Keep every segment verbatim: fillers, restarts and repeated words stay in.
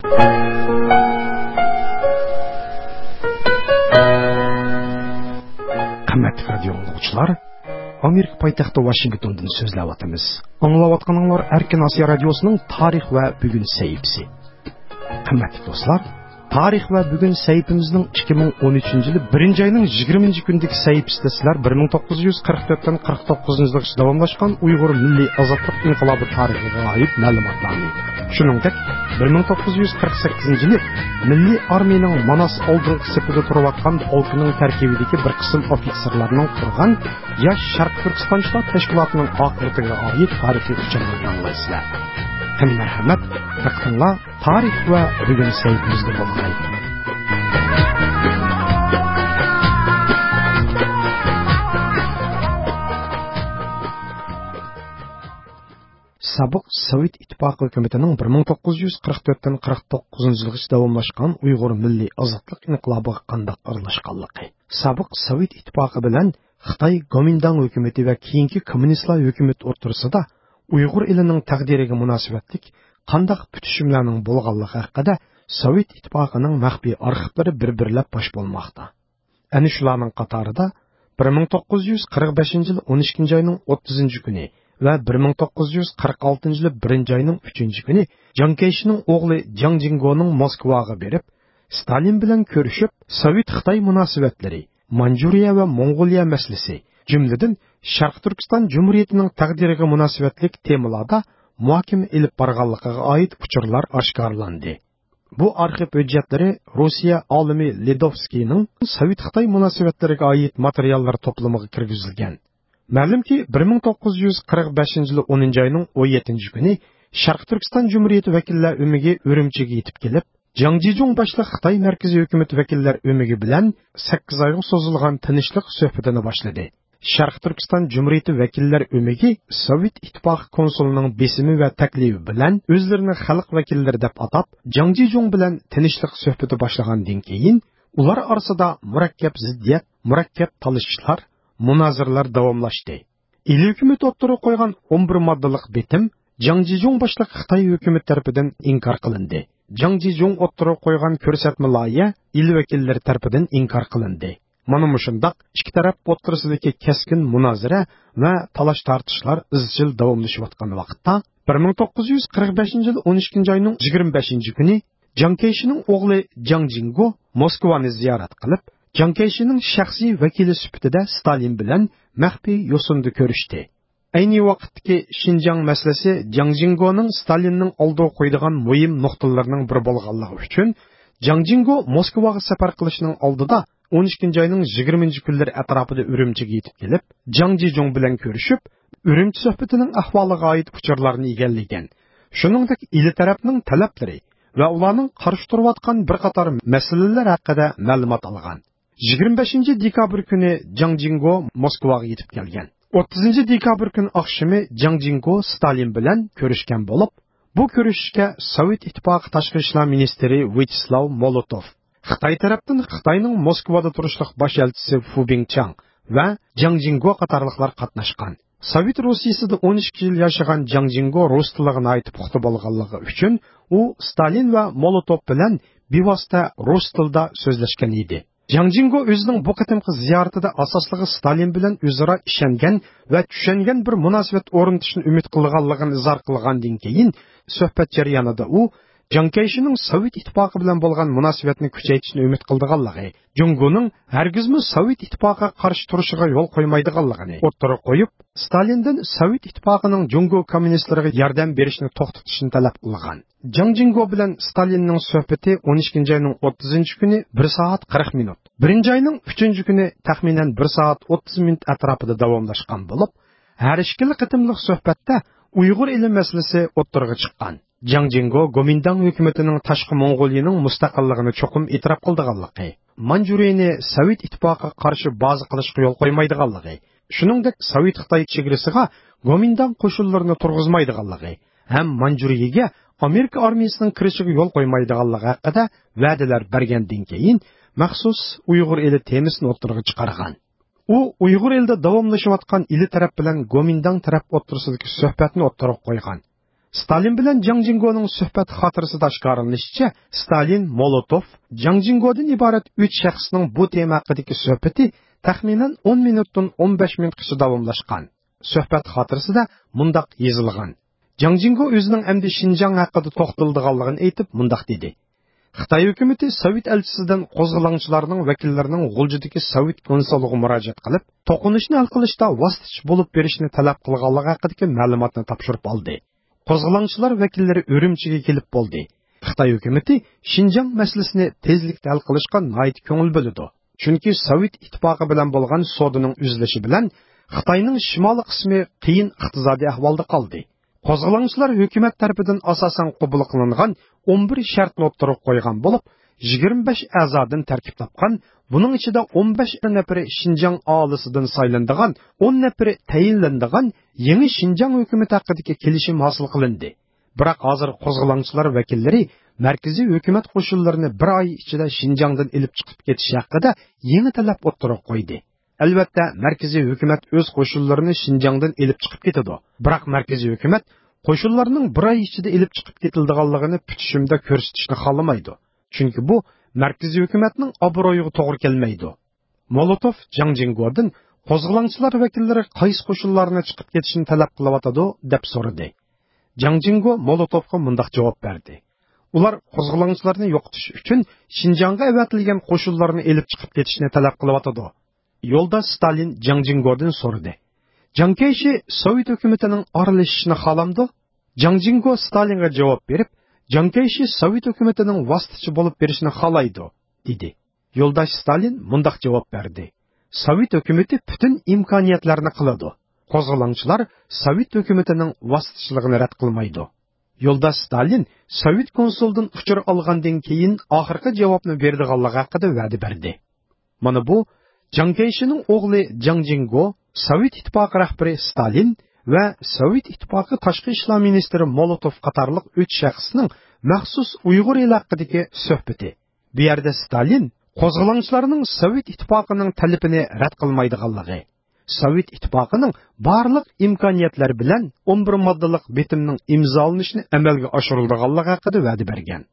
قىممەتلىك رادىيو ئاڭلىغۇچىلار، ئامېرىكا پايتەختى ۋاشىنگتوندىن سۆزلەۋاتىمىز. ئاڭلاۋاتقىنىڭلار ئەركىن ئاسىيا رادىيوسىنىڭ تارىخ ۋە بۈگۈن سەھىپىسى. قىممەتلىك دوستلار، تارىخ ۋە بۈگۈن سەھىپىمىزنىڭ ئىككى مىڭ ئون ئۈچىنچى يىلى بىرىنچى ئاينىڭ يىگىرمىنچى كۈنىدىكى سەھىپىسىدە سىلەر بىر مىڭ توققۇز يۈز قىرىق تۆتتىن قىرىق توققۇزىنچى يىلغىچە داۋاملاشقان ئۇيغۇر مىللىي ئازادلىق ئىنقىلابى تارىخىغا ئائىت مەلۇماتلارنى، شۇنىڭدەك بىر مىڭ توققۇز يۈز قىرىق سەككىزىنچى يىلى مىللىي ئارمىيىنىڭ ماناس ئالدىنقى سېپىدە تۇرۇۋاتقان پولكىنىڭ تەركىبىدىكى بىر قىسىم ئوفىتسېرلارنىڭ قۇرغان ياش شەرقىي تۈركىستانچىلار تەشكىلاتىنىڭ ئاقىۋىتىگە ئائىت تارىخىي ئۇچۇرلارنى ئاڭلايسىلەر. قېنى مەرھەمەت، دىققىتىڭلار تارىخ ۋە بۈگۈن سەھىپىمىزدە بولغاي. سابىق سوۋېت ئىتتىپاقى ھۆكۈمىتىنىڭ بىر مىڭ توققۇز يۈز قىرىق تۆتتىن قىرىق توققۇزىنچى يىلغىچە داۋاملاشقان ئۇيغۇر مىللىي ئازادلىق ئىنقىلابىغا قانداق ئارىلاشقانلىقى، سابىق سوۋېت ئىتتىپاقى بىلەن خىتاي گومىنداڭ ھۆكۈمىتى ۋە كېيىنكى كوممۇنىستلار ھۆكۈمىتى ئوتتۇرىسىدا ئۇيغۇر ئېلىنىڭ تەقدىرىگە مۇناسىۋەتلىك قانداق پۈتۈشۈملەرنىڭ بولغانلىقى ھەققىدە سوۋېت ئىتتىپاقىنىڭ مەخپىي ئارخىپلىرى بىر-بىرلەپ پاش بولماقتا. ئەنە شۇلارنىڭ قاتارىدا بىر مىڭ توققۇز يۈز قىرىق بەشىنچى يىل ئون ئىككىنچى ئاينىڭ ئوتتۇزىنچى كۈنى ۋە بىر مىڭ توققۇز يۈز قىرىق ئالتىنچى يىل بىرىنچى ئاينىڭ ئۈچىنچى كۈنى جاڭ كەيشىنىڭ ئوغلى جاڭ جىڭگونىڭ موسكۋاغا بېرىپ، ستالىن بىلەن كۆرۈشۈپ، سوۋېت-خىتاي مۇناسىۋەتلىرى، مانجۇرىيە ۋە موڭغۇلىيە مەسىلىسى، جۈملىدىن شەرقىي تۈركىستان جۇمھۇرىيىتىنىڭ تەقدىرىگە مۇناسىۋەتلىك تېمىلاردا مۇھاكىمە ئېلىپ بارغانلىقىغا ئائىت ئۇچۇرلار ئاشكارىلاندى. بۇ ئارخىپ ھۆججەتلىرى روسىيە ئالىمى لېدوفسكىينىڭ سوۋېت-خىتاي مۇناسىۋەتلىرىگە ئائىت ماتېرىياللار توپلىمىغا كىرگۈزۈلگەن. مەلۇمكى، بىر مىڭ توققۇز يۈز قىرىق بەشىنچى يىلى ئونىنچى ئاينىڭ ئون يەتتىنچى كۈنى شەرقىي تۈركىستان جۇمھۇرىيىتى ۋەكىللەر ئۆمىكى ئۈرۈمچىگە يېتىپ كېلىپ، جاڭ جىجۇڭ باشلىق خىتاي مەركىزىي ھۆكۈمىتى ۋەكىللەر ئۆمىكى بىلەن سەككىز ئايغا سوزۇلغان تىنچلىق سۆھبىتىنى باشلىدى. شەرقىي تۈركىستان جۇمھۇرىيىتى ۋەكىللەر ئۆمىكى سوۋېت ئىتتىپاقى كونسۇلىنىڭ بېسىمى ۋە تەكلىپى بىلەن ئۆزلىرىنى خەلق ۋەكىللىرى دەپ ئاتاپ، جاڭ جىجۇڭ بىلەن تىنچلىق سۆھبىتى باشلىغاندىن كېيىن، ئۇلار ئارىسىدا مۇرەككەپ زىددىيەت، مۇرەككەپ تالىشىشلار، مۇنازىرىلەر داۋاملاشتى. ئىلى ھۆكۈمىتى ئوتتۇرىغا قويغان ئون بىر ماددىلىق بېتىم جاڭ جىجۇڭ باشلىق خىتاي ھۆكۈمىتى تەرىپىدىن ئىنكار قىلىندى. جاڭ جىجۇڭ ئوتتۇرىغا قويغان كۆرسەتمە لايىھە ئىلى ۋەكىللىرى تەرىپىدىن ئىنكار قىلىندى. مانا مۇشۇنداق ئىككى تەرەپ ئوتتۇرىسىدىكى كەسكىن مۇنازىرە ۋە تالاش-تارتىشلار ئىزچىل داۋاملىشىۋاتقان ۋاقىتتا، بىر مىڭ توققۇز يۈز قىرىق بەشىنچى يىل ئون ئىككىنچى ئاينىڭ يىگىرمە بەشىنچى كۈنى جاڭ كەيشىنىڭ ئوغلى جاڭ جىڭگو موسكۋانى زىيارەت قىلىپ، جاڭ كەيشىنىڭ شەخسىي ۋەكىلى سۈپىتىدە ستالىن بىلەن مەخپىي يوسۇندا كۆرۈشتى. ئەينى ۋاقىتتىكى شىنجاڭ مەسىلىسى جاڭ جىڭگونىڭ ستالىننىڭ ئالدىغا قويىدىغان مۇھىم نۇقتىلىرىنىڭ بىرى بولغانلىقى ئۈچۈن، جاڭ جىڭگو موسكۋاغا سەپەر قىلىشنىڭ ئالدىدا ئون ئىككىنچى ئاينىڭ يىگىرمىنچى كۈنلىرى ئەتراپىدا ئۈرۈمچىگە يېتىپ كېلىپ، جاڭ جىجۇڭ بىلەن كۆرۈشۈپ، ئۈرۈمچى سۆھبىتىنىڭ ئەھۋالىغا ئائىت ئۇچۇرلارنى ئىگىلىگەن. شۇنىڭدەك ئىلى تەرەپنىڭ تەلەپلىرى ۋە ئۇلارنىڭ قارشى تۇرۇۋاتقان بىر قاتار مەسىلىلەر ھەققىدە مەلۇمات ئالغان. يىگىرمە بەشىنچى دېكابىر كۈنى جاڭ جىڭگو موسكۋاغا يېتىپ كەلگەن. ئوتتۇزىنچى دېكابىر كۈنى ئاخشىمى جاڭ جىڭگو ستالىن بىلەن كۆرۈشكەن بولۇپ، بۇ كۆرۈشۈشكە سوۋېت ئىتتىپاقى تاشقى ئىشلار مىنىستىرى ۋياچېسلاۋ مولوتوف، خىتاي تەرەپتىن خىتاينىڭ موسكۋادا تۇرۇشلۇق باش ئەلچىسى فۇ بىڭچاڭ ۋە جاڭ جىڭگو قاتارلىقلار قاتناشقان. سوۋېت روسىيىسىدە ئون ئىككى يىل ياشىغان جاڭ جىڭگو رۇس تىلىغا ناھايىتى پۇختا بولغانلىقى ئۈچۈن، ئۇ ستالىن ۋە مولوتوف بىلەن بىۋاسىتە رۇس تىلىدا سۆزلەشكەن ئىدى. جاڭ جىڭگو ئۆزىنىڭ بۇ قېتىمقى زىيارىتىدە ئاساسلىقى ستالىن بىلەن ئۆزئارا ئىشەنگەن ۋە چۈشەنگەن بىر مۇناسىۋەت ئورنىتىشنى ئۈمىد قىلىدىغانلىقىنى ئىزھار قىلغاندىن كېيىن، سۆھبەت جەريانىدا ئۇ جاڭ كەيشىنىڭ سوۋېت ئىتتىپاقى بىلەن بولغان مۇناسىۋەتنى كۈچەيتىشنى ئۈمىد قىلىدىغانلىقى، جۇڭگونىڭ ھەرگىزمۇ سوۋېت ئىتتىپاقىغا قارشى تۇرۇشىغا يول قويمايدىغانلىقىنى ئوتتۇرىغا قويۇپ، ستالىندىن سوۋېت ئىتتىپاقىنىڭ جۇڭگو كوممۇنىستلىرىغا ياردەم بېرىشنى توختىتىشنى تەلەپ قىلغان. جاڭ جىڭگو بىلەن ستالىننىڭ سۆھبىتى ئون ئىككىنچى ئاينىڭ ئوتتۇزىنچى كۈنى بىر سائەت قىرىق مىنۇت، بىرىنچى ئاينىڭ ئۈچىنچى كۈنى تەخمىنەن بىر سائەت ئوتتۇز مىنۇت ئەتراپىدا داۋاملاشقان بولۇپ، ھەر ئىككىلا قېتىملىق سۆھبەتتە ئۇيغۇر ئېلى مەسىلىسى ئوتتۇرىغا چىققان. جاڭ جىڭگو گومىنداڭ ھۆكۈمىتىنىڭ تاشقى موڭغۇلىيىنىڭ مۇستەقىللىقىنى چوقۇم ئېتىراپ قىلىدىغانلىقى، مانجۇرىيىنى سوۋېت ئىتتىپاقىغا قارشى بازا قىلىشقا يول قويمايدىغانلىقى، شۇنىڭدەك سوۋېت خىتاي چېگرىسىغا گومىنداڭ قوشۇنلىرىنى تۇرغۇزمايدىغانلىقى ھەم مانجۇرىيىگە ئامېرىكا ئارمىيىسىنىڭ كىرىشىگە يول قويمايدىغانلىقى ھەققىدە ۋەدىلەر بەرگەندىن كېيىن، مەخسۇس ئۇيغۇر ئېلى تېمىسىنى ئوتتۇرىغا چىقارغان. ئۇ ئۇيغۇر ئېلىدە داۋاملىشىۋاتقان ئىلى تەرەپ بىلەن گومىنداڭ تەرەپ ئوتتۇرىسىدىكى سۆھبەتنى ئوتتۇرىغا قويغان. ستالىن بىلەن جاڭ جىڭگونىڭ سۆھبەت خاتىرىسىدە ئاشكارىلىنىشىچە، ستالىن، مولوتوف، جاڭ جىڭگودىن ئىبارەت ئۈچ شەخسنىڭ بۇ تېما ھەققىدىكى سۆھبىتى تەخمىنەن ئون مىنۇتتىن ئون بەش مىنۇتقىچە داۋاملاشقان. سۆھبەت خاتىرىسىدە مۇنداق يېزىلغان: جاڭ جىڭگو ئۆزىنىڭ ئەمدى شىنجاڭ ھەققىدە توختىلىدىغانلىقىنى ئېيتىپ، مۇنداق دېدى: خىتاي ھۆكۈمىتى سوۋېت ئەلچىسىدىن قوزغىلاڭچىلارنىڭ ۋەكىللىرىنىڭ غۇلجىدىكى سوۋېت كونسۇلىغا مۇراجىئەت قىلىپ، توقۇنۇشنى ھەل قىلىشتا ۋاسىتىچى بولۇپ بېرىشنى تەلەپ قىلغانلىقى ھەققىدىكى مەلۇماتنى تاپشۇرۇپ ئالدى. قوزغىلاڭچىلار ۋەكىللىرى ئۈرۈمچىگە كېلىپ بولدى. خىتاي ھۆكۈمىتى شىنجاڭ مەسىلىسىنى تېزلىكتە ھەل قىلىشقا ناھايىتى كۆڭۈل بۆلىدۇ. چۈنكى سوۋېت ئىتتىپاقى بىلەن بولغان سودىنىڭ ئۈزۈلۈشى بىلەن خىتاينىڭ شىمالىي قىسمى قىيىن ئىقتىسادىي ئەھۋالدا قالدى. قوزغىلاڭچىلار ھۆكۈمەت تەرىپىدىن ئاساسەن قوبۇل قىلىنغان ئون بىر شەرتنى ئوتتۇرىغا قويغان بولۇپ، يىگىرمە بەش ئەزادىن تەركىب تاپقان، بۇنىڭ ئىچىدە ئون بەش نەپىرى شىنجاڭ ئاھالىسىدىن سايلىنىدىغان، ئون نەپىرى تەيىنلىنىدىغان يېڭى شىنجاڭ ھۆكۈمىتى ھەققىدىكى كېلىشىم ھاسىل قىلىندى. بىراق ھازىر قوزغىلاڭچىلار ۋەكىللىرى مەركىزىي ھۆكۈمەت قوشۇنلىرىنى بىر ئاي ئىچىدە شىنجاڭدىن ئېلىپ چىقىپ كېتىش ھەققىدە يېڭى تەلەپ ئوتتۇرىغا قويدى. ئەلۋەتتە، مەركىزىي ھۆكۈمەت ئۆز قوشۇنلىرىنى شىنجاڭدىن ئېلىپ چىقىپ كېتىدۇ. بىراق مەركىزىي ھۆكۈمەت قوشۇنلارنىڭ بىر ئاي ئىچىدە ئېلىپ چىقىپ كېتىلىدىغانلىقىنى پۈتۈشۈمدە كۆرسىتىشنى خالىمايدۇ. چۈنكى بۇ مەركىزىي ھۆكۈمەتنىڭ ئابرۇيىغا توغرا كەلمەيدۇ. مولوتوف جاڭ جىڭگودىن قوزغىلاڭچىلار ۋەكىللىرى قايسى قوشۇنلارنى چىقىپ كېتىشنى تەلەپ قىلىۋاتىدۇ، دەپ سورىدى. جاڭ جىڭگو مولوتوفقا مۇنداق جاۋاب بەردى: ئۇلار قوزغىلاڭچىلارنى يوقىتىش ئۈچۈن شىنجاڭغا ئەۋەتىلگەن قوشۇنلارنى ئېلىپ چىقىپ كېتىشنى تەلەپ قىلىۋاتىدۇ. يولداش ستالىن جاڭ جىڭگودىن سورىدى: جاڭ كەيشى سوۋېت ھۆكۈمىتىنىڭ ئارىلىشىشىنى خالامدۇ؟ جاڭ جىڭگو ستالىنغا جاۋاب بېرىپ، جاڭ كەيشى سوۋېت ھۆكۈمىتىنىڭ ۋاسىتىچى بولۇپ بېرىشنى خالايدۇ، دېدى. يولداش ستالىن مۇنداق جاۋاب بەردى: سوۋېت ھۆكۈمىتى پۈتۈن ئىمكانىيەتلەرنى قىلىدۇ. قوزغىلاڭچىلار سوۋېت ھۆكۈمىتىنىڭ ۋاسىتىچىلىقىنى رەت قىلمايدۇ. يولداش ستالىن سوۋېت كونسۇلىدىن ئۇچۇر ئالغاندىن كېيىن ئاخىرقى جاۋابنى بېرىدىغانلىقى ھەققىدە ۋەدە بەردى. مانا بۇ جاڭ كەيشىنىڭ ئوغلى جاڭ جىڭگو، سوۋېت ئىتتىپاقى رەھبىرى ستالىن ۋە سوۋېت ئىتتىپاقى تاشقى ئىشلار مىنىستىرى مولوتوف قاتارلىق ئۈچ شەخسنىڭ مەخسۇس ئۇيغۇر ئېلى ھەققىدىكى سۆھبىتى. بۇ يەردە ستالىن قوزغىلاڭچىلارنىڭ سوۋېت ئىتتىپاقىنىڭ تەلىپىنى رەت قىلمايدىغانلىقى، سوۋېت ئىتتىپاقىنىڭ بارلىق ئىمكانىيەتلەر بىلەن ئون بىر ماددىلىق بېتىمنىڭ ئىمزالىنىشىنى ئەمەلگە ئاشۇرىدىغانلىقى ھەققىدە ۋەدە بەرگەن.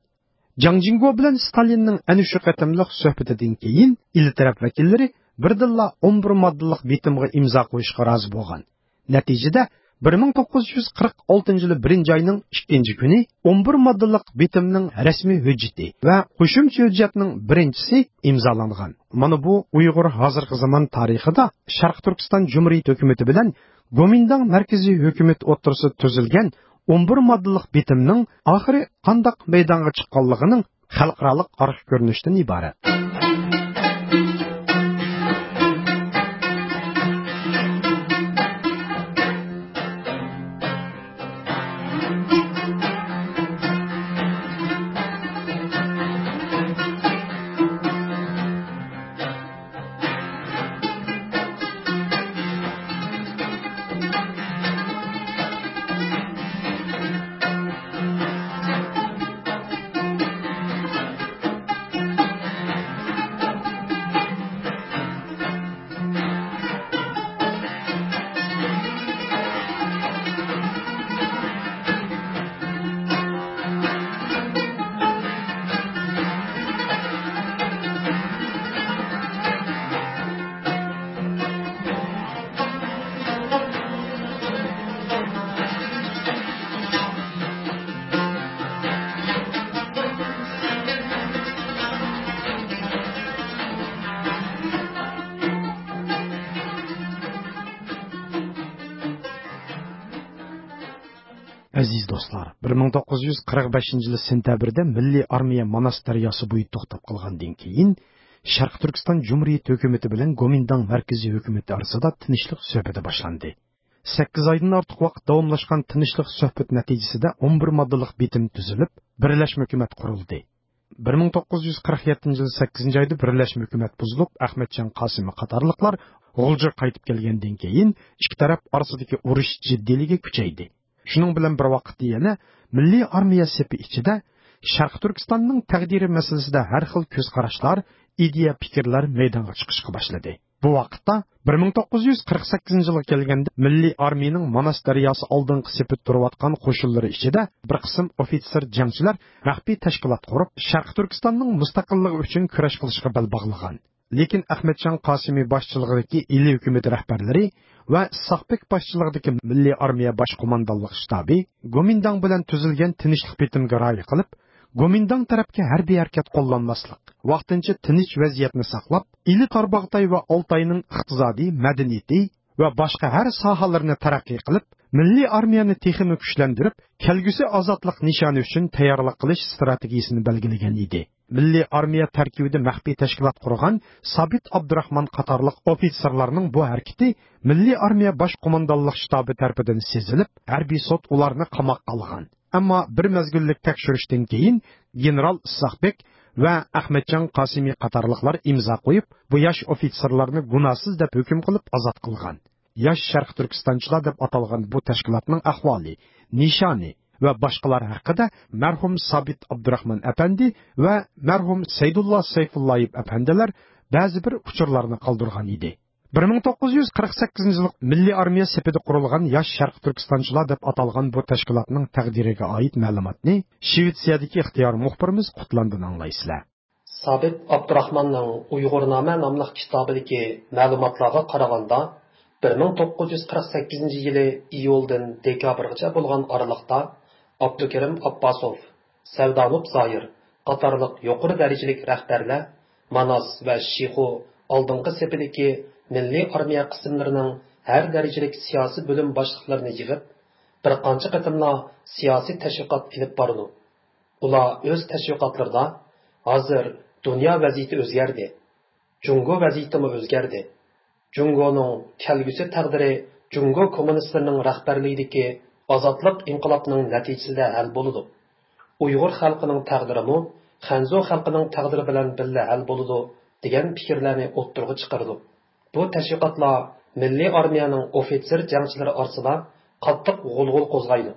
جاڭ جىڭگو بىلەن ستالىننىڭ ئەنە شۇ قېتىملىق سۆھبىتىدىن كېيىن، ئىلى تەرەپ ۋەكىللىرى بىردىنلا ئون بىر ماددىلىق بېتىمغا ئىمزا قويۇشقا رازى بولغان. نەتىجىدە، بىر مىڭ توققۇز يۈز قىرىق ئالتىنچى يىلى بىرىنچى ئاينىڭ ئىككىنچى كۈنى ئون بىر ماددىلىق بېتىمنىڭ رەسمىي ھۆججىتى ۋە قوشۇمچە ھۆججەتنىڭ بىرىنچىسى ئىمزالانغان. مانا بۇ ئۇيغۇر ھازىرقى زامان تارىخىدا شەرقىي تۈركىستان جۇمھۇرىيىتى ھۆكۈمىتى بىلەن گومىنداڭ مەركىزىي ھۆكۈمىتى ئوتتۇرىسىدا تۈزۈلگەن ئون بىر ماددىلىق بېتىمنىڭ ئاخىرى قانداق مەيدانغا چىققانلىقىنىڭ خەلقئارالىق ئارقا كۆرۈنۈشتىن ئىبارەت. ئەزىز دوستلار، بىر مىڭ توققۇز يۈز قىرىق بەشىنچى يىلى سېنتەبىردە مىللىي ئارمىيە ماناس دەرياسى بويىدا توختاپ قالغاندىن كېيىن، شەرقىي تۈركىستان جۇمھۇرىيىتى ھۆكۈمىتى بىلەن گومىنداڭ مەركىزىي ھۆكۈمىتى ئارىسىدا تىنچلىق سۆھبىتى باشلاندى. سەككىز ئايدىن ئارتۇق ۋاقىت داۋاملاشقان تىنچلىق سۆھبەت نەتىجىسىدە ئون بىر ماددىلىق بېتىم تۈزۈلۈپ، بىرلەشمە ھۆكۈمەت قۇرۇلدى. بىر مىڭ توققۇز يۈز قىرىق يەتتىنچى يىل سەككىزىنچى ئايدا بىرلەشمە ھۆكۈمەت بۇزۇلۇپ، ئەخمەتجان قاسىمى قاتارلىقلار غۇلجىغا قايتىپ كەلگەندىن كېيىن، ئىككى تەرەپ ئارىسىدىكى ئۇرۇش جىددىيلىكى كۈچەيدى. شۇنىڭ بىلەن بىر ۋاقىتتا يەنە مىللىي ئارمىيە سېپى ئىچىدە شەرقىي تۈركىستاننىڭ تەقدىرى مەسىلىسىدە ھەر خىل كۆز قاراشلار، ئىدىيە، پىكىرلەر مەيدانغا چىقىشقا باشلىدى. بۇ ۋاقىتتا بىر مىڭ توققۇز يۈز قىرىق سەككىزىنچى يىلغا كەلگەندە مىللىي ئارمىيىنىڭ ماناس دەرياسى ئالدىنقى سېپىدە تۇرۇۋاتقان قوشۇنلىرى ئىچىدە بىر قىسىم ئوفىتسېر جەڭچىلەر مەخپىي تەشكىلات قۇرۇپ، شەرقىي تۈركىستاننىڭ مۇستەقىللىقى ئۈچۈن كۈرەش قىلىشقا بەل باغلىغان. لېكىن ئەخمەتجان قاسىمى باشچىلىقىدىكى ئىلى ھۆكۈمىتى رەھبەرلىرى ۋە ئىسھاقبېك باشچىلىقىدىكى مىللىي ئارمىيە باش قوماندانلىق شتابى گومىنداڭ بىلەن تۈزۈلگەن تىنچلىق بېتىمىگە رىئايە قىلىپ، گومىنداڭ تەرەپكە ھەربىي ھەرىكەت قوللانماسلىق، ۋاقتىنچە تىنچ ۋەزىيەتنى ساقلاپ، ئىلى تارباغاتاي ۋە ئالتاينىڭ ئىقتىسادىي، مەدەنىيىتى ۋە باشقا ھەر ساھەلىرىنى تەرەققىي قىلىپ، مىللىي ئارمىيەنى تېخىمۇ كۈچلەندۈرۈپ، كەلگۈسى ئازادلىق نىشانى ئۈچۈن تەييارلىق قىلىش ئىستراتېگىيىسىنى بەلگىلىگەن ئىدى. مىللىي ئارمىيە تەركىبىدە مەخپىي تەشكىلات قۇرغان سابىت ئابدۇراخمان قاتارلىق ئوفىتسېرلارنىڭ بۇ ھەرىكىتى مىللىي ئارمىيە باش قوماندانلىق شتابى تەرىپىدىن سېزىلىپ، ھەربىي سوت ئۇلارنى قاماققا ئالغان. ئەمما بىر مەزگىللىك تەكشۈرۈشتىن كېيىن گېنېرال ئىسھاقبېك ۋە ئەخمەتجان قاسىمى قاتارلىقلار ئىمزا قويۇپ، بۇ ياش ئوفىتسېرلارنى گۇناھسىز دەپ ھۆكۈم قىلىپ ئازاد قىلغان. ياش شەرقىي تۈركىستانچىلار دەپ ئاتالغان بۇ تەشكىلاتنىڭ ئەھۋالى، نىشانى ۋە باشقىلار ھەققىدە مەرھۇم سابىت ئابدۇراخمان ئەپەندى ۋە مەرھۇم سەيدۇللا سەيفۇللايېف ئەپەندىلەر بەزى بىر ئۇچۇرلارنى قالدۇرغان ئىدى. بىر مىڭ توققۇز يۈز قىرىق سەككىزىنچى يىللىق مىللىي ئارمىيە سېپىدە قۇرۇلغان ياش شەرقىي تۈركىستانچىلار دەپ ئاتالغان بۇ تەشكىلاتنىڭ تەقدىرىگە ئائىت مەلۇماتنى شىۋېتسىيەدىكى ئىختىيارىي مۇخبىرىمىز قۇتلاندىن ئاڭلايسىلەر. سابىت ئابدۇراخماننىڭ ئۇيغۇرنامە ناملىق كىتابىدىكى مەلۇماتلارغا قارىغاندا، بىر مىڭ توققۇز يۈز قىرىق سەككىزىنچى يىلى ئىيۇلدىن دېكابىرغىچە بولغان ئارىلىقتا ئابدۇكېرىم ئابباسوف، سەۋدانۇپ زاھىر قاتارلىق يۇقىرى دەرىجىلىك رەھبەرلەر ماناس ۋە شىخۇ ئالدىنقى سېپىدىكى مىللىي ئارمىيە قىسىملىرىنىڭ ھەر دەرىجىلىك سىياسىي بۆلۈم باشلىقلىرىنى يىغىپ، بىر قانچە قېتىملا سىياسىي تەشۋىقات ئېلىپ بارىدۇ. ئۇلار ئۆز تەشۋىقاتلىرىدا، «ھازىر دۇنيا ۋەزىيىتى ئۆزگەردى. جۇڭگو ۋەزىيىتىمۇ ئۆزگەردى. جۇڭگونىڭ كەلگۈسى تەقدىرى جۇڭگو كوممۇنىستلىرىنىڭ رەھبەرلىكىدىكى ئازادلىق ئىنقىلابىنىڭ نەتىجىسىدە ھەل بولىدۇ. ئۇيغۇر خەلقىنىڭ تەقدىرىمۇ خەنزۇ خەلقىنىڭ تەقدىرى بىلەن بىللە ھەل بولىدۇ» دېگەن پىكىرلەرنى ئوتتۇرىغا چىقىرىدۇ. بۇ تەشۋىقاتلار مىللىي ئارمىيەنىڭ ئوفىتسېر جەڭچىلىرى ئارىسىدا قاتتىق غۇلغۇلا قوزغايدۇ.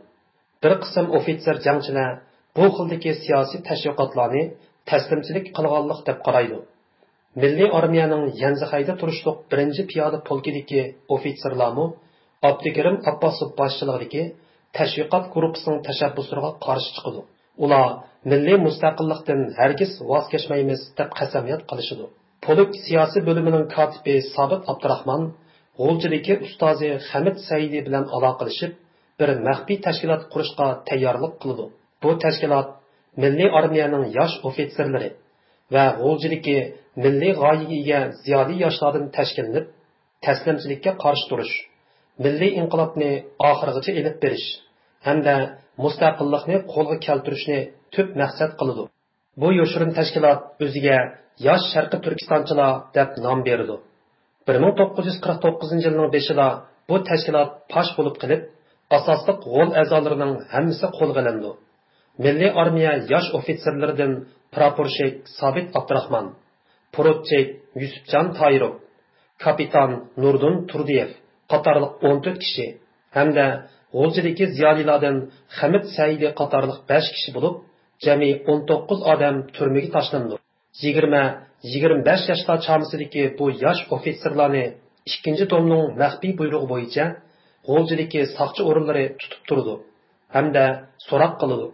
بىر قىسىم ئوفىتسېر جەڭچىلەر بۇ خىلدىكى سىياسىي تەشۋىقاتلارنى تەسلىمچىلىك قىلغانلىق دەپ قارايدۇ. مىللىي ئارمىيەنىڭ يەنزىخەيدە تۇرۇشلۇق بىرىنچى پىيادە پولكىدىكى ئوفىتسېرلارمۇ ئابدۇكېرىم ئابباسوف باشچىلىقىدىكى تەشۋىقات گۇرۇپپىسىنىڭ تەشەببۇسلىرىغا قارشى چىقىدۇ. ئۇلار مىللىي مۇستەقىللىقتىن ھەرگىز ۋاز كەچمەيمىز دەپ قەسەمياد قىلىشىدۇ. پولك سىياسىي بۆلۈمىنىڭ كاتىپى سابىت ئابدۇراخمان غۇلجىدىكى ئۇستازى خەمىت سەئىدى بىلەن ئالاقىلىشىپ، بىر مەخپىي تەشكىلات قۇرۇشقا تەييارلىق قىلىدۇ. بۇ تەشكىلات مىللىي ئارمىيەنىڭ ياش ئوفىتسېرلىرى ۋە غۇلجىدىكى مىللىي غايىگە ئىگە زىيالىي ياشلاردىن تەشكىللىنىپ، تەسلىمچىلىككە قارشى تۇرۇش، مىللىي ئىنقىلابنى ئاخىرغىچە ئېلىپ بېرىش ھەمدە مۇستەقىللىقنى قولغا كەلتۈرۈشنى تۈپ مەقسەت قىلىدۇ. بۇ يوشۇرۇن تەشكىلات ئۆزىگە ياش شەرقىي تۈركىستانچىلار دەپ نام بېرىدۇ. بىر مىڭ توققۇز يۈز قىرىق توققۇزىنچى يىلنىڭ بېشىدا بۇ تەشكىلات پاش بولۇپ قېلىپ، ئاساسلىق غول ئەزالىرىنىڭ ھەممىسى قولغا ئېلىنىدۇ. مىللىي ئارمىيە ياش ئوفىتسېرلىرىدىن پراپورشىك سابىت ئابدۇراخمان، پوروتچىك يۈسۈپجان تايىروف، كاپىتان نۇردىن تۇردىيېف قاتارلىق ئون تۆت كىشى ھەمدە غۇلجىدىكى زىيالىيلاردىن خەمىت سەئىدى قاتارلىق بەش كىشى بولۇپ، جەمئىي ئون توققۇز ئادەم تۈرمىگە تاشلىنىدۇ. يىگىرمە، يىگىرمە بەش ياشلار چامىسىدىكى بۇ ياش ئوفىتسېرلارنى ئىككىنچى دومنىڭ مەخپىي بۇيرۇقى بويىچە غۇلجىدىكى ساقچى ئورۇنلىرى تۇتۇپ تۇرىدۇ ھەمدە سوراق قىلىدۇ.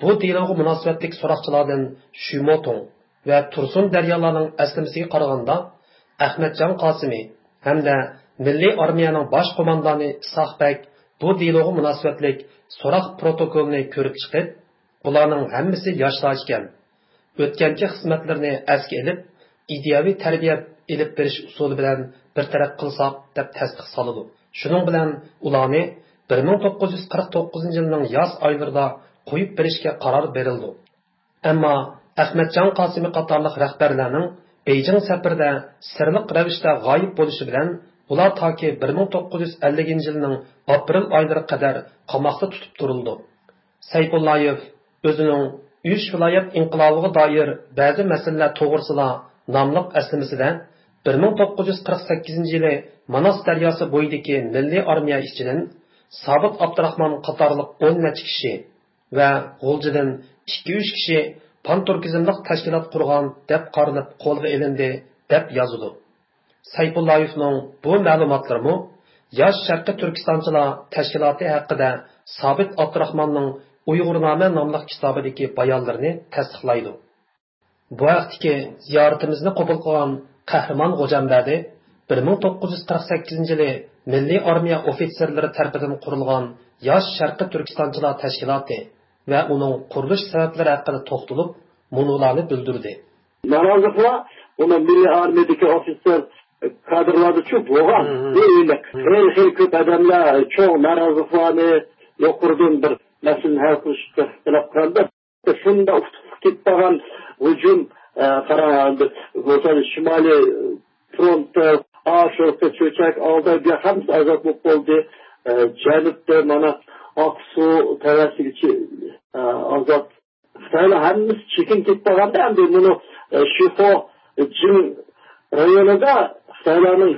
بۇ دېلوغا مۇناسىۋەتلىك سوراقچىلاردىن شۈموتۇڭ ۋە تۇرسۇن دەريالارنىڭ ئەسلىمىسىگە قارىغاندا، ئەخمەتجان قاسىمى ھەمدە مىللىي ئارمىيەنىڭ باش قوماندانى ئىسھاق بەگ بۇ دېلوغا مۇناسىۋەتلىك سوراق پروتوكولىنى كۆرۈپ چىقىپ، بۇلارنىڭ ھەممىسى ياشلار ئىكەن. ئۆتكەنكى خىزمەتلىرىنى ئەسكە ئېلىپ، ئىدىيەۋى تەربىيە ئېلىپ بېرىش ئۇسۇلى بىلەن بىر تەرەپ قىلساق دەپ تەستىق سالىدۇ. شۇنىڭ بىلەن ئۇلارنى بىر مىڭ توققۇز يۈز قىرىق توققۇزىنچى يىلنىڭ ياز ئايلىرىدا قويۇپ بېرىشكە قارار بېرىلىدۇ. ئەمما ئەخمەتجان قاسىمى قاتارلىق رەھبەرلەرنىڭ بېيجىڭ سەپىرىدە سىرلىق رەۋىشتە غايىب بولۇشى بىلەن، ئۇلار تاكى بىر مىڭ توققۇز يۈز ئەللىكىنچى يىلنىڭ ئاپرېل ئايلىرىغا قەدەر قاماقتا تۇتۇپ تۇرۇلىدۇ. سەيپۇللايېف ئۆزىنىڭ ئۈچ ۋىلايەت ئىنقىلابىغا دائىر بەزى مەسىلىلەر توغرىسىدا ناملىق ئەسلىمىسىدە، بىر مىڭ توققۇز يۈز قىرىق سەككىزىنچى يىلى ماناس دەرياسى بويىدىكى مىللىي ئارمىيە ئىچىدىن سابىت ئابدۇراخمان قاتارلىق ئون نەچچە كىشى ۋە غۇلجىدىن ئىككى، ئۈچ كىشى پانتۈركىزملىق تەشكىلات قۇرغان دەپ قارىلىپ قولغا ئېلىندى، دەپ يازىدۇ. سەيپۇللايېۋنىڭ بۇ مەلۇماتلىرىمۇ ياش شەرقىي تۈركىستانچىلار تەشكىلاتى ھەققىدە سابىت ئابدۇراخماننىڭ ئۇيغۇرنامە ناملىق كىتابىدىكى بايانلىرىنى تەستىقلايدۇ. بۇ ھەقتىكى زىيارىتىمىزنى قوبۇل قىلغان قەھرىمان غوجامبەدى بىر مىڭ توققۇز يۈز قىرىق سەككىزىنچى يىلى مىللىي ئارمىيە ئوفىتسېرلىرى تەرىپىدىن قۇرۇلغان ياش شەرقىي تۈركىستانچىلار تەشكىلاتى ۋە ئۇنىڭ قۇرۇلۇش سەۋەبلىرى ھەققىدە توختىلىپ، مۇنۇلارنى بىلدۈردى. نارازىلىقلار ئۇنى مىللىي ئارمىيەدىكى ئوفىتسېر كادىرلاردىچۇ بولغان. مم. بۇ ئېنىق. مم. خېلى، خېلى كۆپ ئادەملەر چوڭ نارازىلىقلارنى يۇقىرىدىن بىر مەسىلىنى ھەل قىلىشقا تەلەپ قىلغاندا، شۇنداق ئۇتۇقلۇق كېتىپ قالغان ھۇجۇم، ئە، قاراڭ، ئەمدى بولسا شىمالىي فرونتتا، ئاشۇ چۆچەك، ئالداي، بۇ ھەممىسى ئازاد بولۇپ بولدى. ئە، جەنۇبتا مانا ئاقسۇ تەۋەسىگىچە، ئە، ئازاد. خىتايلار ھەممىسى چېكىنىپ كېتىپ قالغاندا، ئەمدى مۇنۇ، ئە، شىخۇ جىڭ رايونىدا خىتايلارنىڭ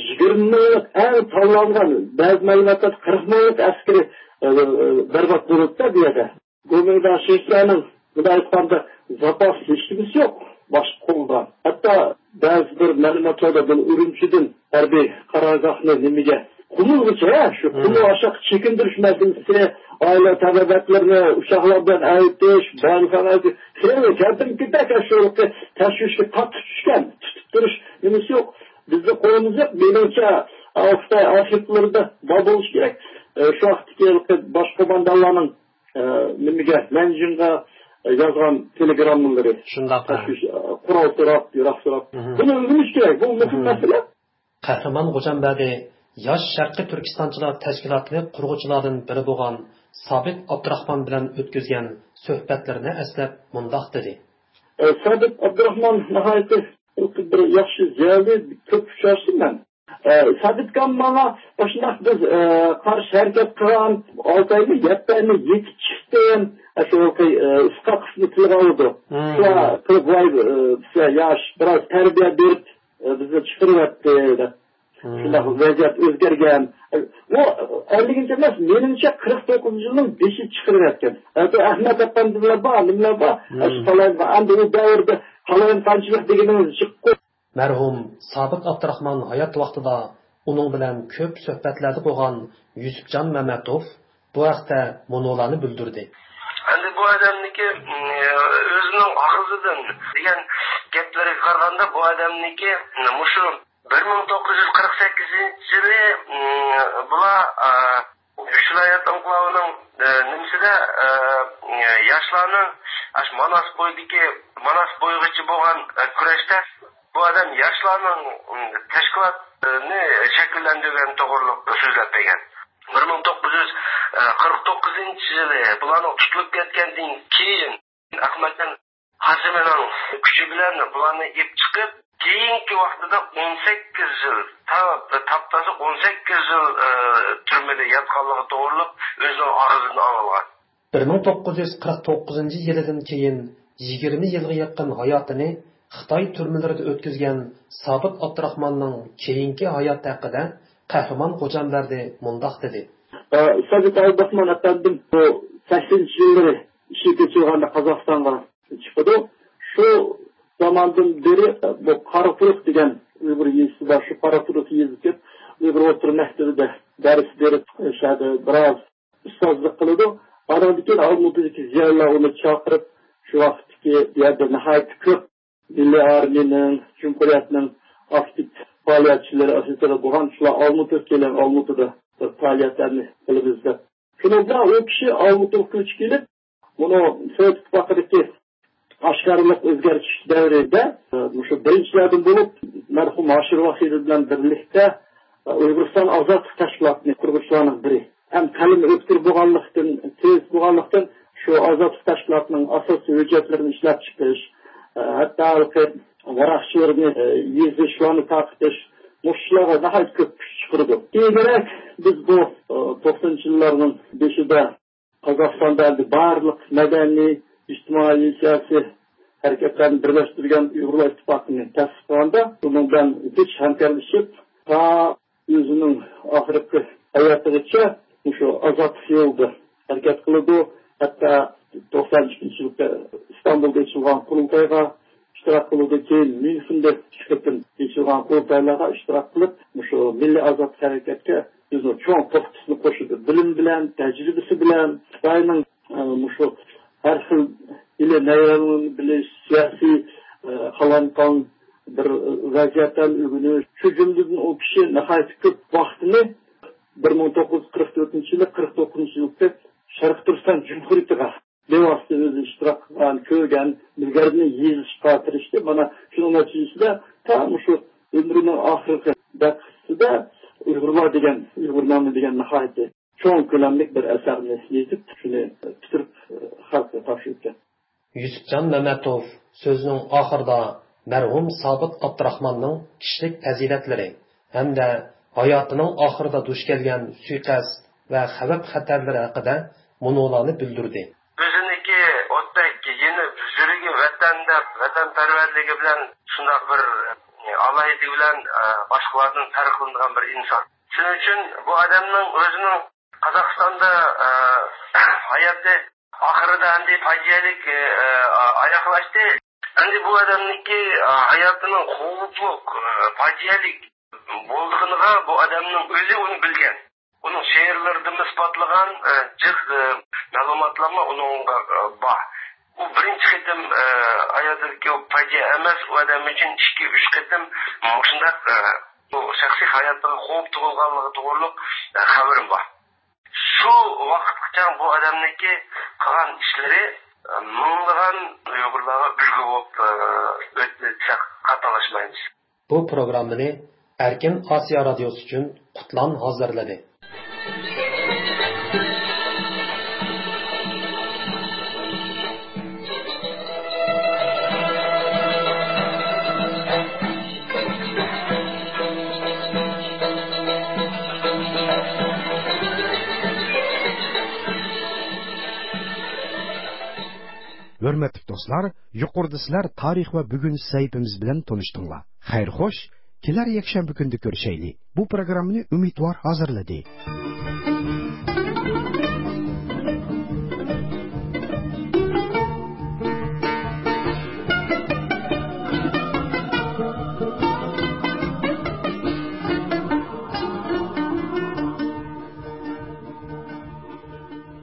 يىگىرمە مىڭلىق ئەڭ تاللانغان، بەزى مەلۇماتلاردا قىرىق مىڭلىق ئەسكىرى، ئە، بەربات بولۇپتۇ بۇ يەردە. گومىنداڭ شىنجياڭنىڭ، مۇنداق ئېيتقاندا، زاپاس ھېچنېمىسى يوق باشقا قولدا. ھەتتا بەزى بىر مەلۇماتلاردا بۇنى ئۈرۈمچىدىن ھەربىي قارارگاھنى نېمىگە، قۇمۇلغىچە، شۇ قۇمۇل ئاشاققا چېكىندۈرۈش مەسىلىسى، ئائىلە تەبىئەتلىرىنى ئۇچاقلار بىلەن ئەۋېتىش، بايلىقلارنى ئەۋېتىش، خېلى كەلدىن كېتەك شۇ تەشۋىشكە قاتتىق چۈشكەن، تۇتۇپ تۇرۇش نېمىسى يوق. بىزنىڭ قولىمىز يوق. مېنىڭچە، خىتاي ئارخىپلىرىدا بار بولۇشى كېرەك. ئە، شۇ ۋاقىتتىكى باش قوماندانلارنىڭ ئە، نېمىگە، نەنجىڭغا، ئە، يازغان تېلېگراممىلىرى. شۇنداق، ھە. تەشۋىش، ئە، قورال سوراپ، ياراغ سوراپ. مم. بۇنى ئۆگىنىش كېرەك. بۇ مۇھىم مم. مەسىلە. قەھرىمان غوجامبەدى ياش شەرقىي تۈركىستانچىلار تەشكىلاتىنى قۇرغۇچىلاردىن بىرى بولغان سابىت ئابدۇراخمان بىلەن ئۆتكۈزگەن سۆھبەتلىرىنى ئەسلەپ مۇنداق دېدى. ئە، سابىت ئابدۇراخمان ناھايىتى بىر ياخشى زىيالىي، كۆپ ئۇچراشتىم مەن. ئە، سابىت ئاكام ماڭا ئاشۇنداق بىز، ئە، قارشى ھەرىكەت قىلغان ئالتە ئايمۇ، يەتتە ئايمۇ يېتىپ چىقتىم. ئە، شۇ ھېلىقى، ئە، ئىسقاق قىسمى تىلغا ئالىدۇ. مم. شۇلار قىلىپ، ۋاي، ئە، بىزگە ياش، بىراز تەربىيە بېرىپ، ئە، بىزنى چىقىرىۋەتتى، دەپ. مم. شۇنداق ۋەزىيەت ئۆزگەرگەن. ئە، ئۇ ئەللىكىنچى ئەمەس، مېنىڭچە قىرىق توققۇزىنچى يىلنىڭ بېشى چىقىرىۋەتكەن. ئە، بۇ ئەخمەت ئاپەندىلەر بار، نېمىلەر بار. ئە، شۇ مم. تالايمغا، ئەمدى ئۇ دەۋردە تالايمىقانچىلىق دېگىنىڭىز جىققۇ. مەرھۇم سابىت ئابدۇراخمان ھايات ۋاقتىدا ئۇنىڭ بىلەن كۆپ سۆھبەتلەردە بولغان يۈسۈپجان مەمەتوف بۇ ھەقتە مۇنۇلارنى بىلدۈردى. ئەمدى بۇ ئادەمنىڭكى، م، ئۆزىنىڭ ئاغزىدىن دېگەن گەپلىرىگە قارىغاندا، بۇ ئادەمنىڭكى، م، مۇشۇ بىر مىڭ توققۇز يۈز قىرىق سەككىزىنچى يىلى، م، بۇلار، ئا، ئۈچ ۋىلايەت ئىنقىلابىنىڭ، ئە، نېمىسىدە، ئە، ياشلارنىڭ ئاشۇ ماناس بويىدىكى، ماناس بويىغىچە بولغان، ئە، كۈرەشتە بۇ ئادەم ياشلارنىڭ، ئىم، تەشكىلاتىنى شەكىللەندۈرگەن توغرۇلۇق سۆزلەپ بەرگەن. بىر مىڭ توققۇز يۈز قىرىق توققۇزىنچى يىلى بۇلارنىڭ تۇتۇلۇپ كەتكەندىن كېيىن، ئەخمەتجان قاسىمىنىڭ كۈچى بىلەن بۇلارنى ئېلىپ چىقىپ، كېيىنكى ۋاقتىدا ئون سەككىز يىل، تا-، تاپتاسى ئون سەككىز يىل، ئى، تۈرمىدە ياتقانلىقى توغرۇلۇق ئۆزىنىڭ ئاغزىدىن ئاڭلىغان. بىر مىڭ توققۇز يۈز قىرىق توققۇزىنچى يىلىدىن كېيىن يىگىرمە يىلغا يېقىن ھاياتىنى خىتاي تۈرمىلىرىدە ئۆتكۈزگەن سابىت ئابدۇراخماننىڭ كېيىنكى ھاياتى ھەققىدە قەھرىمان غوجامبەردى مۇنداق دېدى. ئى، سابىت ئابدۇراخمان ئەپەندىم بۇ سەكسىنىنچى يىللىرى ئىشىك ئېچىلغاندا قازاقىستانغا چىقىدۇ. شۇ زاماندىن بېرى بۇ قاراتۇرۇق دېگەن ئۇيغۇر يېزىسى بار. شۇ قاراتۇرۇق يېزىسىغا كېلىپ، ئۇيغۇر ئوتتۇرا مەكتىپىدە دەرس بېرىپ، شۇ يەردە بىراز ئۇستازلىق قىلىدۇ. ئانىڭدىن كېيىن ئالمۇتىدىكى زىيالىيلار ئۇنى چاقىرىپ، شۇ ۋاقىتتىكى بۇ يەردە ناھايىتى كۆپ مىللىي ئارمىيەنىڭ، جۇمھۇرىيەتنىڭ ئاكتىپ پائالىيەتچىلىرى ئاساسەن بولغان، شۇلار ئالمۇتىغا كېلىڭ، ئالمۇتىدا بىر پائالىيەتلەرنى قىلىمىز دەپ. شۇنىڭ بىلەن ئۇ كىشى ئالمۇتىغا كۆچۈپ كېلىپ، بۇنى سوۋېت ئىتتىپاقىدىكى ئاشكارىلىق ئۆزگەرتىش دەۋرىدە، ئە، مۇشۇ بىرىنچىلەردىن بولۇپ، مەرھۇم ھاشىر ۋەھىدى بىلەن بىرلىكتە، ئە، ئۇيغۇرىستان ئازادلىق تەشكىلاتىنى قۇرغۇچىلارنىڭ بىرى ھەم قەلىمى ئۆتكۈر بولغانلىقتىن، تېز بولغانلىقتىن، شۇ ئازادلىق تەشكىلاتىنىڭ ئاساسىي ھۆججەتلىرىنى ئىشلەپ چىقىش، ئە، ھەتتا ھېلىقى ۋاراقچىلىرىنى، ئە، يېزىش، ئۇلارنى تارقىتىش، مۇشۇلارغا ناھايىتى كۆپ كۈچ چىقىرىدۇ. كېيىنرەك بىز بۇ، ئە، توقسىنىنچى يىللارنىڭ بېشىدا قازاقىستاندا ئەمدى بارلىق مەدەنىي، ئىجتىمائىي، سىياسىي ھەرىكەتلەرنى بىرلەشتۈرگەن ئۇيغۇرلار ئىتتىپاقىنى تەسىس قىلغاندا، بۇنىڭ بىلەن زىچ ھەمكارلىشىپ، تا ئۆزىنىڭ ئاخىرقى ھاياتىغىچە مۇشۇ ئازادلىق يولىدا ھەرىكەت قىلىدۇ. ھەتتا توقسان ئىككىنچى يىلى ئىستانبۇلدا ئېچىلغان قۇرۇلتايغا ئىشتىراك قىلىدۇ. كېيىن ميۇنخېندا ئىككى قېتىم ئېچىلغان قۇرۇلتايلارغا ئىشتىراك قىلىپ، مۇشۇ مىللىي ئازادلىق ھەرىكەتكە ئۆزىنىڭ چوڭ تۆھپىسىنى قوشىدۇ. بىلىم بىلەن، تەجرىبىسى بىلەن خىتاينىڭ، ئە، مۇشۇ ھەر خىل ئىلى نەيرەڭلىرىنى بىلىش، سىياسىي، ئە، قالايمىقان بىر ۋەزىيەتلەرنى ئۆگىنىش، شۇ جۈملىدىن ئۇ كىشى ناھايىتى كۆپ ۋاقتىنى بىر مىڭ توققۇز يۈز قىرىق تۆتىنچى يىلى قىرىق توققۇزىنچى يىلىغىچە شەرقىي تۈركىستان جۇمھۇرىيىتىغا بىۋاسىتە ئۆزى ئىشتىراك قىلغان، كۆرگەن، بىلگەنلىرىنى يېزىشقا تىرىشتى. مانا شۇنىڭ نەتىجىسىدە تا مۇشۇ ئۆمرىنىڭ ئاخىرقى دەقىقىسىدە ئۇيغۇرلار دېگەن، ئۇيغۇرنامە دېگەن ناھايىتى چوڭ كۆلەملىك بىر ئەسەرنى يېزىپ، شۇنى پۈتتۈرۈپ، خەلققە تاپشۇرۇپتۇ. يۈسۈپجان مەمەتوف سۆزىنىڭ ئاخىرىدا مەرھۇم سابىت ئابدۇراخماننىڭ كىشىلىك پەزىلەتلىرى ھەمدە ھاياتىنىڭ ئاخىرىدا دۇچ كەلگەن سۇيىقەست ۋە خەۋپ-خەتەرلىرى ھەققىدە مۇنۇلارنى بىلدۈردى. ئۆزىنىڭكى ئوتتەك يېنىپ يۈرىكى ۋەتەن دەپ، ۋەتەنپەرۋەرلىكى بىلەن شۇنداق بىر ئالاھىدىلىكى بىلەن، ئە، باشقىلاردىن پەرقلىنىدىغان بىر ئىنسان. شۇنىڭ ئۈچۈن بۇ ئادەمنىڭ ئۆزىنىڭ قازاقىستاندا، ئە، ھاياتى ئاخىرىدا ئەمدى پاجىئەلىك، ئە، ئاياغلاشتى. ئەمدى بۇ ئادەمنىڭكى، ئە، ھاياتىنىڭ خوپلۇق، ئە، پاجىئەلىك بولىدىغىنىغا بۇ ئادەمنىڭ ئۆزى ئۇنى بىلگەن. ئۇنىڭ شېئىرلىرىدىمۇ ئىسپاتلىغان، ئە، جىق، ئە، مەلۇماتلارمۇ ئۇنىڭغا، ئە، بار. ئۇ بىرىنچى قېتىم، ئە، ھاياتىدىكى پاجىئە ئەمەس، ئۇ ئادەم ئۈچۈن ئىككى، ئۈچ قېتىم مۇشۇنداق، ئە، بۇ شەخسىي ھاياتىغا خوپ تۇغۇلغانلىقى توغرۇلۇق، ئە، خەۋىرىم بار. شۇ ۋاقىتقىچە بۇ ئادەمنىڭكى قىلغان ئىشلىرى، ئە، مىڭلىغان ئۇيغۇرلارغا ئۈلگە بولۇپ، ئە، ئۆتتى دېسەك خاتالاشمايمىز. بۇ پروگراممىنى ئەركىن ئاسىيا رادىيوسى ئۈچۈن قۇتلان ھازىرلىدى. ھۆرمەتلىك دوستلار، يۇقىرىدا سىلەر تارىخ ۋە بۈگۈن سەھىپىمىز بىلەن تونۇشتۇڭلار. خەير خوش، كېلەر يەكشەنبە كۈندە كۆرۈشەيلى. بۇ پروگراممىنى ئۈمىدۋار ھازىرلىدى.